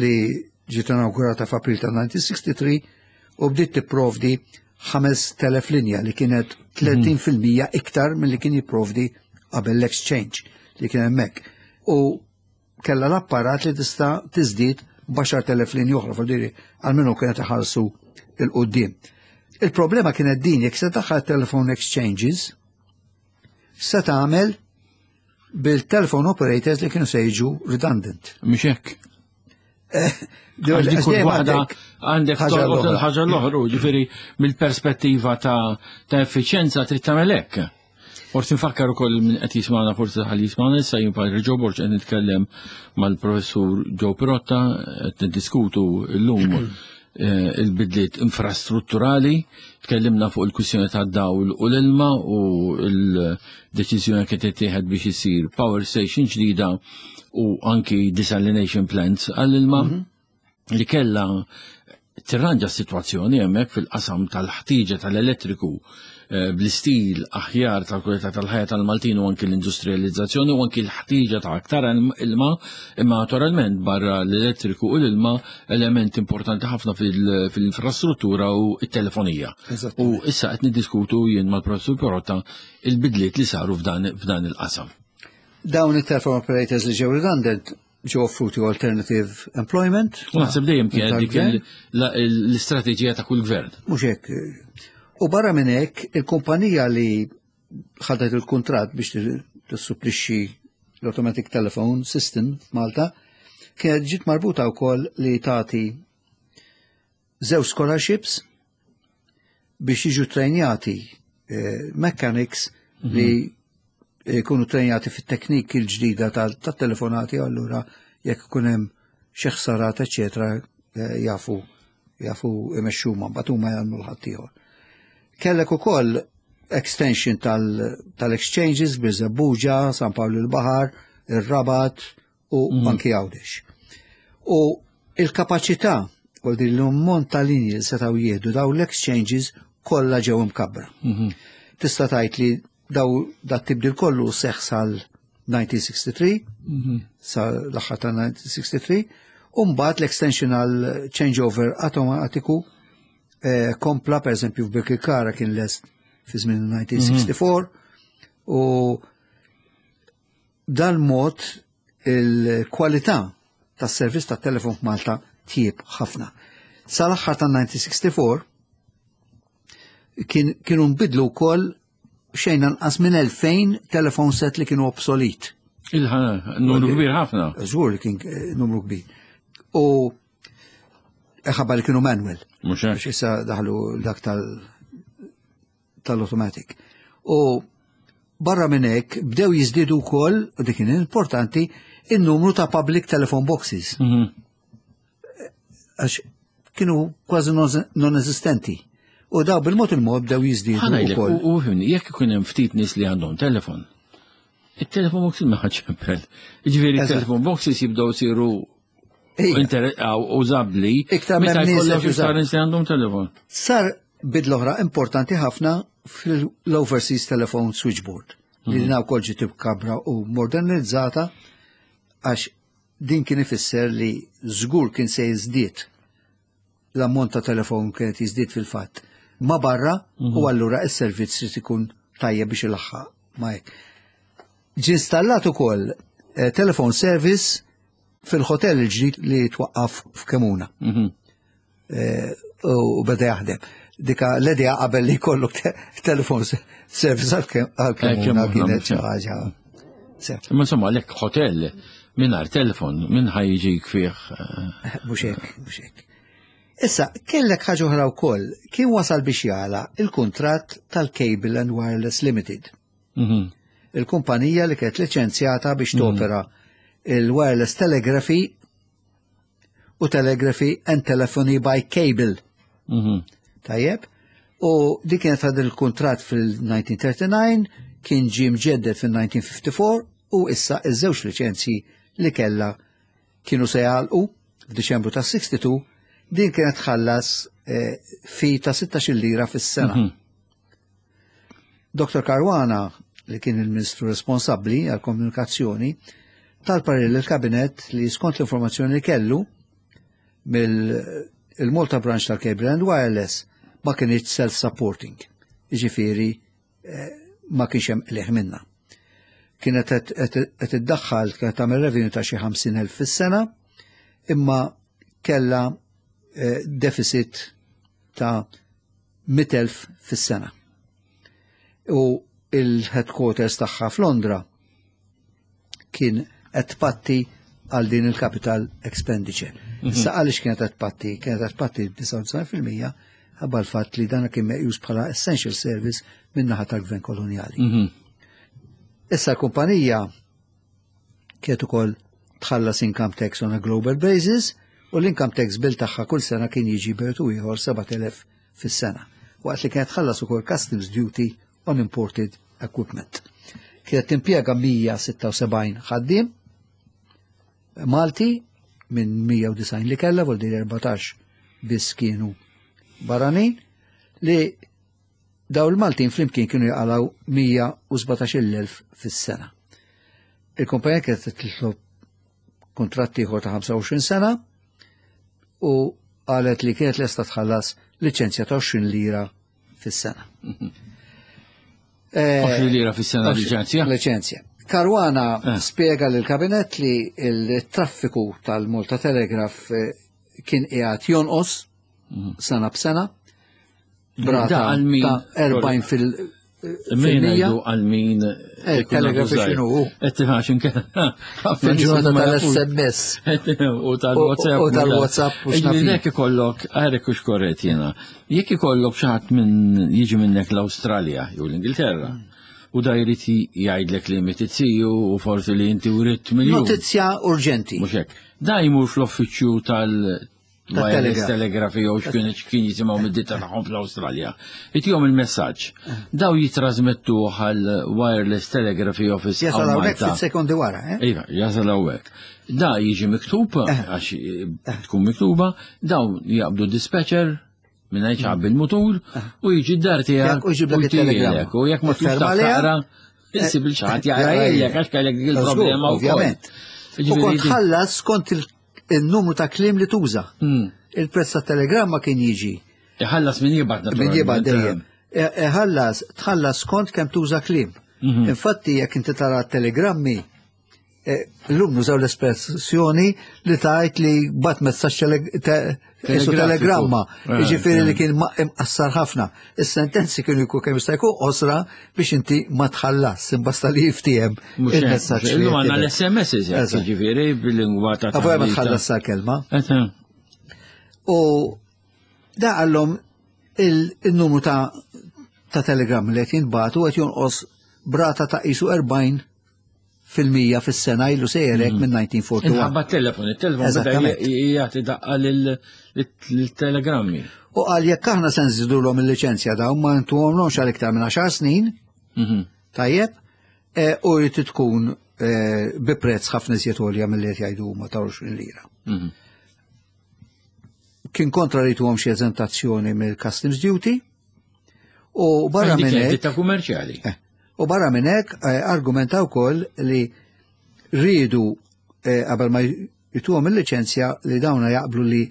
li ġiet inaugurata f'April ta' 1963 u bdiet tipprovdi 5,000 linja li kienet 30% iktar mill-li kien jipprovdi qabel l-exchange li kien hemmhekk. U kella l-apparat li tista' tiżdied b'10,000 linja oħra, fil għalmenu kienet iħarsu 'il quddiem. Il-problema kienet din, jekk se daħħal telephone exchanges, se tagħmel bil-telephone operators li kienu se jiġu redundant. Mhux hekk. Għax dik kull waħda għandek tolqot il-ħaġa l-oħra, ġifieri mill-perspettiva ta' effiċjenza trid tagħmel hekk. Forsi nfakkar ukoll minn qed jismagħna forsi ħalli jismagħna issa jien Padre Joe Borg qed nitkellem mal-professur Joe Pirotta qed niddiskutu llum eh, il-bidliet infrastrutturali, tkellimna fuq il-kwistjoni tad-dawl u l-ilma u l-deċiżjoni kien tittieħed biex isir power station ġdida u anki desalination plants għall-ilma mhm. li kella tirranġa s-sitwazzjoni hemmhekk fil-qasam tal-ħtieġa tal-elettriku eh, bl-istil aħjar tal-kwalità tal-ħajja tal-Maltin u anki l-industrializzazzjoni u anki l-ħtieġa ta' aktar ilma imma naturalment barra l-elettriku u l-ilma element importanti ħafna fil-infrastruttura u t-telefonija. U issa qed niddiskutu jien mal-professur Perotta il-bidliet li saru f'dan il-qasam. Dawn it-telephone operators li ġew redundant ġew offruti alternative employment. U naħseb dejjem kienet dik l-istrateġija ta' kull gvern. Mhux hekk. U barra minn hekk, il-kumpanija li ħadet il-kuntratt biex tissupplixxi l-automatic telephone system f'Malta kienet ġiet marbuta wkoll li tagħti żewġ scholarships biex jiġu trejnjati eh, mechanics mhm. li jkunu trejnjati fit-teknik il-ġdida tat-telefonati allura jekk ikun hemm xi ħsarat eċetera eh, jafu jafu imexxu ma mbagħad huma jagħmlu l-ħaddieħor. Kellek ukoll extension tal-exchanges Birżebbuġa, San Pawl il-Baħar, ir-Rabat, u mm. anki Għawdex. U il-kapaċità u din l-ammont ta' linji li setgħu jieħdu daw l-exchanges kollha ġew imkabbra. Mhm. Tista' tgħid li daw dat tibdil kollu seħħ sal-1963, mhm. sa l-aħħar ta' 1963, u mbagħad l-extension għal changeover automatiku eh, kompla pereżempju f'Birkirkara kien lest fi żmien 1964 mhm. u Dal-mod il-kwalità tas-servizz tat-telefon f'Malta tjieb ħafna. Sal-aħħar tan-1964 kien, kienu nbidlu wkoll xejn anqas minn 2000 telefon set li kienu obsolit. Il-ħana, numru kbir ħafna. Żgur li kien eh, numru kbir. U ħabba li kienu manual. Mhux hekk. Issa daħlu dak tal tal-automatic. U barra minn hekk bdew jiżdiedu wkoll, u dik kien importanti, in-numru ta' public telephone boxes. Mhm. Għax kienu kważi non-eżistenti. U daw bil-mod il-mod bdew jiżdiedu wkoll. U fimni, jekk ikun hemm ftit nies li għandhom telefon, it-telefon boxes ma ħaġ Ġifieri it-telefon boxes jibdew siru użabbli. Iktar meta jkollok iktar nies li għandhom telefon. Sar bidla oħra importanti ħafna fil-Overseas Telephone Switchboard li mhm. din wkoll ġiet kabra u modernizzata għax din kien ifisser li żgur kien se jiżdied l-ammont ta' telefon kienet jiżdied fil-fatt ma barra u mhm. allura s-servizz trid ikun tajjeb biex ilaħħaq ma hekk. Ġie installat ukoll eh, telephone service fil-hotel il-ġdid li twaqqaf f'Kemuna. Mhm. Eh, u beda jaħdem. Dika l-idea qabel li jkollu telefon service għal-Kemuna kienet xi ħaġa. Ma insomma, lek hotel mingħajr telefon minn ħajġik fih. Eh, mhux hekk, mhux hekk. Issa, kellek ħaġa oħra wkoll, kien wasal biex jala il-kuntratt tal-Cable and Wireless Limited. Mhm. Il-kumpanija li kienet liċenzjata biex mhm. topera il-wireless telegraphy u telegraphy and telephony by cable. Mhm. Tajjeb? U dik kienet għad il-kontrat fil-1939, kien ġie mġedded fil-1954 u issa iż-żewġ liċenzji li kella kienu se jagħlqu f'Diċembru ta' 62 din kienet tħallas eh, fi ta' 16 lira fis-sena. Mm -hmm. Dr. Caruana, li kien il-Ministru responsabbli għall-komunikazzjoni, tal-parir lill-Kabinett li skont l-informazzjoni li kellu mill-Malta Branch tal-Cable and Wireless ma kienx self-supporting. Jiġifieri eh, ma kienx hemm qligħ minnha. Kienet qed iddaħħal kienet tagħmel revenue ta' xi 50,000 fis-sena, imma kellha eh, deficit ta' 100,000 fis-sena. U il-headquarters tagħha f'Londra kien qed tpatti għal din il-capital expenditure. Issa għaliex kienet qed tpatti? Kienet qed tpatti 99% ħabba l-fatt li dan kien meqjus bħala essential service min-naħa tal-gvern kolonjali. Issa l-kumpanija kienet ukoll tħallas income tax on a global basis u l-income tax bill tagħha kull sena kien jiġi bertu ieħor 7000 fis-sena. Waqt li kienet tħallas ukoll customs duty on imported equipment. Kienet timpjega 176 ħaddiem Malti minn 190 li kellha, vol dir 14 biss kienu barranin, li daw il-Maltin flimkien kienu jaqalaw 117,000 fis-sena. Il-kumpanija kienet titlob kontratti ieħor ta' 25 sena u qalet li kienet lesta tħallas liċenzja ta' 20 lira fis-sena. 20 lira fis-sena liċenzja? Liċenzja. Caruana spiega lill kabinet li il-traffiku tal-Malta Telegraph kien qiegħed jonqos sena b'sena. Brata Da għal min- ta' 40 fil- Min fil-mija. ngħidu għal min Telegraph x'inhu hu? Qed tifhax inkella. Fil-ġurnata tal-SMS. U tal-WhatsApp. U tal-WhatsApp u x'naf jien. Jekk ikollok, għarek u xkorret jena, jekk ikollok xi ħadd minn jiġi minnek l-Awstralja jew l-Ingilterra, u da jrid jgħidlek li mitizziju u forsi li inti writt miljun. Notizja urġenti. Mhux hekk. Da jmur fl-uffiċċju tal- wireless Tat-telegraph. telegraphy jew x'kien x'kien jisimgħu mid-ditta tagħhom fl-Awstralja. Itihom il-messaġġ. Daw jitrasmettu għal wireless telegraphy office Jasal hawn hawnhekk Malta. ftit sekondi wara, eh? Iva, jasal hawnhekk. Da jiġi miktub, għax tkun miktuba, dawn jaqbdu dispatcher minn ċab il-mutur u jiġi d-dar tiegħek U jġiblek it-telegramma. U jekk ma tkunx Ifferma taf għaliha, taqra, issib il xaħat jaqra jaqra jgħidlek għax kellek dik il-problema wkoll. Ovvjament. U Jiġifieri kont ħallas skont il-numru ta' kliem li tuża. Il-prezz ta' telegramma kien jiġi Iħallas min jibgħat Min jibgħat naturalment. dejjem. Iħallas, tħallas skont kemm tuża kliem. Infatti jekk inti tara telegrammi, llum nużaw l-espressjoni li tajt li bat messaġġ isu Telegrafiku. telegramma, jiġifieri li kien imqassar ħafna. Is-sentenzi kienu jkun kemm jista' jkun qosra biex inti ma tħallas, imbasta li jiftiehem Mhux hekk, il-messaġġ. li Illum għandna qed l-SMS Eżatt. jiġifieri bil-lingwa ta' Għavoja ma taħlita. tħallas sa kelma. Eżatt. U da għallhom il-numru ta' telegram li qed jinbatu qed jonqos brata ta' isu 40% fis-sena ilu sejjerek minn 1941. Inħabba t-telefon, il-telefon beda Eżattament. jagħti daqqa lill-telegrammi. U qal jekk aħna se nżidulhom il-liċenzja dawn ma ntuhomlhomx għal iktar minn 10 snin, tajjeb, u jrid tkun bi prezz ħafna iżjed għolja milli qed jgħidu huma ta' 20 lira. Kien kontra li tuhom xi eżentazzjoni mill-customs duty u barra minn hekk Ditta kummerċjali. U barra minn hekk argumenta wkoll li rridu qabel ma jituhom il-liċenzja li dawna jaqblu li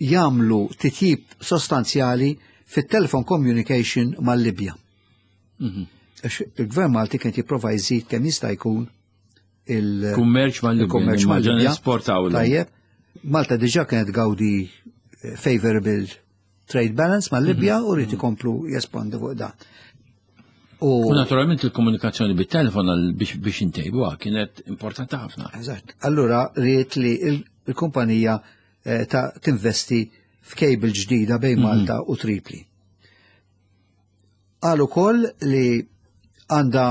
jagħmlu titjib sostanzjali fit-telephone communication mal-Libja. Għax il-Gvern Malti kien jipprova jżid kemm jista' jkun il- Kummerċ mal-Libja. il-kummerċ mal-Libja. Esportaw. Tajjeb. Malta diġà kienet gawdi favorable trade balance mal-Libja u rrid ikomplu jespandu fuq dan. U U naturalment il-komunikazzjoni bit-telefon biex intejbuha kienet importanti ħafna. Eżatt. Allura ried li il-kumpanija ta' tinvesti f'cable ġdida bejn Malta u Tripli. Qal ukoll li għandha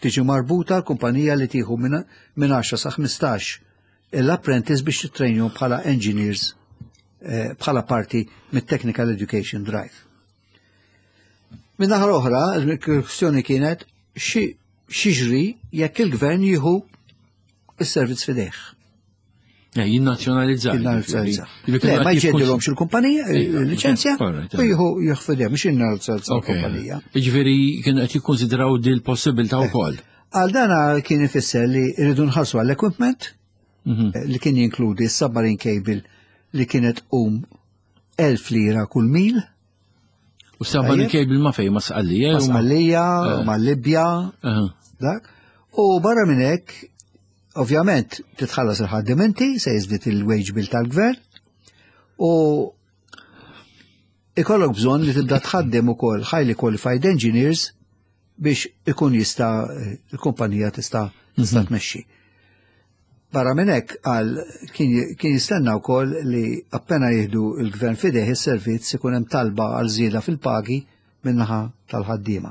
tiġi marbuta l-kumpanija li tieħu minn 10 sa 15 l-apprentice biex titrejnjhom bħala engineers bħala parti mit-Technical Education Drive. Minn naħa l-oħra, il-kwestjoni kienet x'jiġri jekk il-gvern jieħu is-servizz f'idejh. Jinnazzjonalizza. Jinnazzjonalizza. Le, ma jġeddilhomx il-kumpanija, il-liċenzja, u jieħu jieħu f'idejh, mhux jinnazzjonalizza l-kumpanija. Jiġifieri kienu qed jikkonsidraw di l-possibilità wkoll. Għal dana kien ifisser li rridu nħallsu għall-equipment li kien jinkludi s-submarine cable li kienet 1000 lira kull mil. U submarine cable ma fej, ma Sqallija? Ma Sqallija, ma Libja, dak. U barra minn hekk, ovvjament, titħallas il-ħaddiem inti, se jiżdied il-wage bill tal-gvern, u ikollok bżonn li tibda tħaddem ukoll highly qualified engineers biex ikun jista' il-kumpanija tista' tmexxi. Barra minn hekk qal kien jistenna wkoll li appena jieħdu l-gvern f'idejh is-servizz ikun hemm talba għal żieda fil-pagi min-naħa tal-ħaddiema.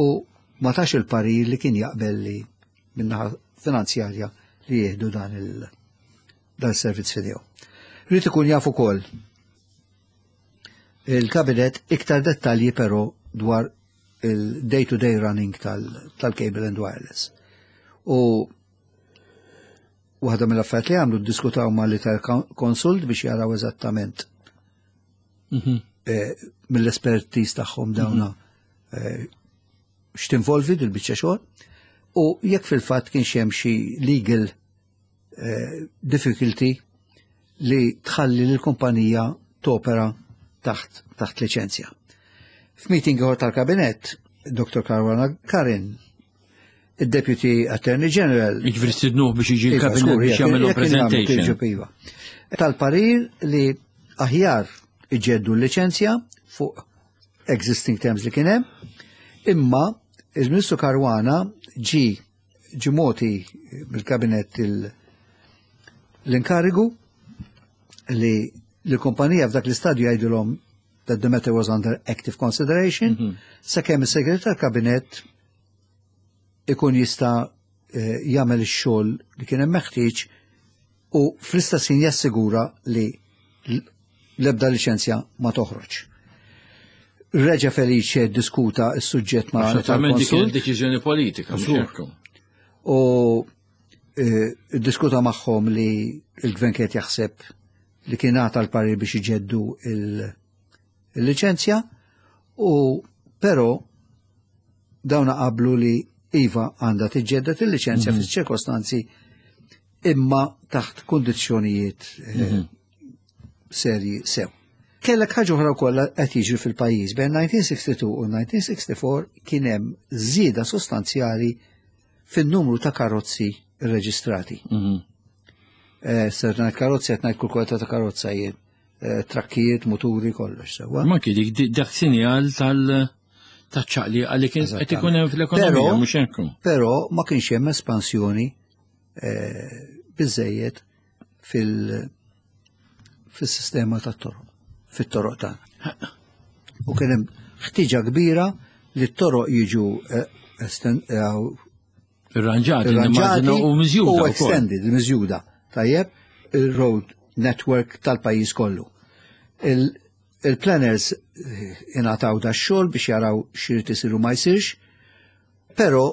U ma tax il-parir li kien jaqbel li min-naħa finanzjarja li jieħdu dan il dan servizz f'idejhom. Rrid ikun jaf ukoll il-kabinet iktar dettalji però dwar il-day-to-day running tal-cable and wireless. U waħda mill-affarijiet li għamlu ddiskutaw ma' l Consult biex jaraw eżattament mill-espertiż tagħhom dawna x'tinvolvi dil-biċċa xogħol u jekk fil-fatt kienx hemm xi legal difficulty li tħalli l-kumpanija topera taħt taħt liċenzja. F'meeting ieħor tal-kabinett, Dr. Caruana Karin, id-Deputy Attorney General. Jiġifieri stidnuh biex jiġi Iva, l-kabinet biex jagħmlu presentation. Iva. Tal-parir li aħjar iġeddu l-liċenzja fuq existing terms li kien hemm, imma il-Ministru Caruana ġi ġimoti mill-kabinet l-inkarigu li l-kumpanija f'dak l-istadju jgħidulhom that the matter was under active consideration, sakemm is-segretar kabinet ikun jista' jagħmel ix-xogħol li kien hemm meħtieġ u fl-istess ħin jassigura li l-ebda liċenzja ma toħroġ. Reġa Felice diskuta s-suġġett ma' Naturalment dik kienet deċiżjoni politika, mhux Żgur. hekk. U diskuta magħhom li l-gvern kienet jaħseb li kien għata l-parir biex iġeddu il-liċenzja u però dawna qablu li iva għandha tiġġedded il-liċenzja fis-ċirkostanzi imma taħt kundizzjonijiet serji sew. Kellek ħaġa oħra wkoll qed jiġri fil-pajjiż bejn 1962 u 1964 kien hemm żieda sostanzjali fin-numru ta' karozzi rreġistrati. Ser ngħid karozzi qed ngħid kull kwalità ta' karozza jien, trakkijiet, muturi, kollox sewwa. Ma kien dik dak sinjal tal taċ-ċaqli għalli kien qed ikun hemm fl-ekonomija, mhux hekk. Però ma kienx hemm espansjoni biżejjed fil-sistema tat-toroq, fit-toroq tagħna. U kien hemm ħtiġa kbira li t-toroq jiġu Irranġati, irranġati nimmaġina, u miżjuda u wkoll. extended, miżjuda. Tajjeb, il-road network tal-pajjiż kollu. Il-planners ingħataw da xogħol biex jaraw x'irid isir u ma jsirx, però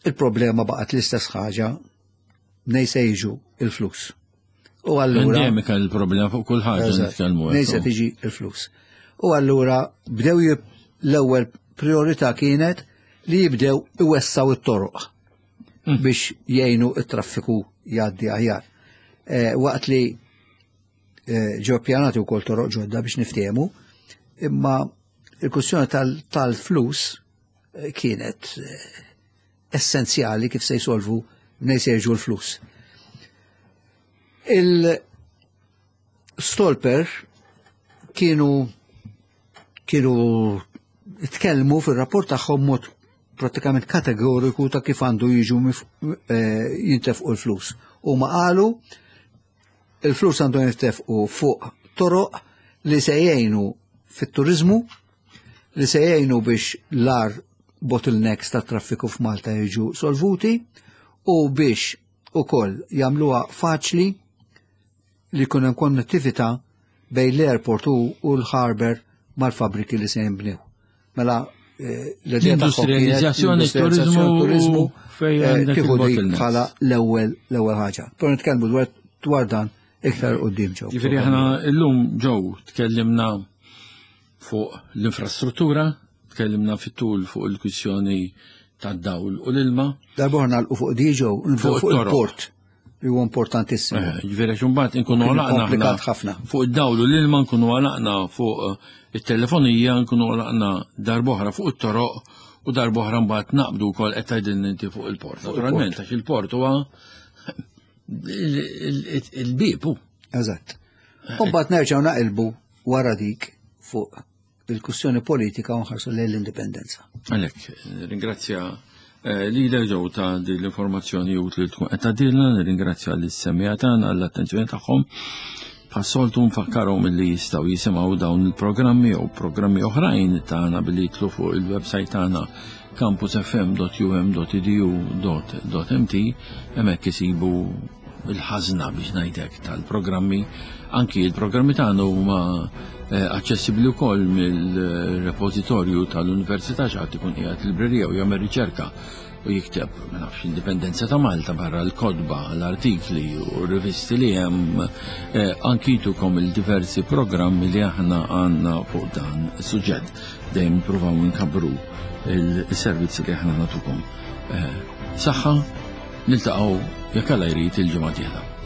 il-problema baqgħet l-istess ħaġa mnejn se jiġu il-flus. U allura Endemika l-problema fuq kull ħaġa nitkellmu Mnejn se tiġi il-flus. U allura bdew l-ewwel priorità kienet li jibdew iwessaw it-toroq biex jgħinu it-traffiku jgħaddi aħjar. Waqt li ġew pjanati wkoll toroq ġodda biex niftehmu, imma il-kwistjoni tal-flus kienet essenzjali kif se jsolvu mnejn se jiġu l-flus. Il-Stolper kienu tkellmu fil-rapport tagħhom mod pratikament kategoriku ta' kif għandu jiġu jintefqu l-flus. U ma qalu il-flus għandu jintefqu fuq toroq li se jgħinu fit-turizmu, li se jgħinu biex l-ar bottlenecks ta' traffiku f'Malta jiġu solvuti u biex ukoll jagħmluha faċli li jkun hemm konnettività bejn l-airport u l-harbor mal-fabriki li se jinbnew. Mela l-idea tagħhom kienet L-industrializzazzjoni, l-industrializzazzjoni, turizmu turizmu, fejn għandek tieħu dik il-bottlenecks. bħala l-ewwel ħaġa. Però nitkellmu dwar dan iktar quddiem ġew. Jiġifieri aħna llum ġew tkellimna fuq l-infrastruttura, tkellimna fit-tul fuq il-kwistjoni tad-dawl u l-ilma. Darba nagħlqu fuq di ġew, Fuq fuq it-toroq. il-port li huwa importantissimu. Jiġifieri għax imbagħad inkunu Kien għalaqna aħna komplikat ħafna. Fuq id-dawl u l-ilma nkunu għalaqna fuq it-telefonija, nkunu għalaqna darb'oħra fuq it-toroq u darb'oħra mbagħad naqbdu wkoll qed tgħidilna inti fuq il-port. Fuq il-port. Naturalment, għax il-port huwa il-bieb hu. Eżatt. U mbagħad nerġgħu naqilbu wara dik fuq il-kwistjoni politika u nħarsu lejn l-indipendenza. Għalhekk, ringrazzja Eh, li ġew ta' din l-informazzjoni utli li tkun qed tagħdilna, nirringrazzja lis-semmiegħa tagħna għall-attenzjoni tagħhom. Bħas-soltu nfakkarhom li jistgħu jisimgħu dawn il-programmi jew programmi oħrajn tagħna billi jitlu fuq il-website tagħna campusfm.um.edu.mt hemmhekk isibu il-ħażna biex ngħidlek tal-programmi. Anki il-programmi tagħna huma eh, aċċessibbli wkoll mill-repożitorju tal-Università xi ħadd ikun qiegħed librerija u jagħmel riċerka u jikteb ma nafx indipendenza ta' Malta barra l-kodba, l-artikli u rivisti li hemm eh, anki jtukom il-diversi programmi li aħna għandna fuq dan is-suġġett. Dejjem nippruvaw nkabbru il-servizzi li aħna nagħtukom. Eh, saħħa, niltaqgħu jekk Alla jrid il-ġimgħa dieħla.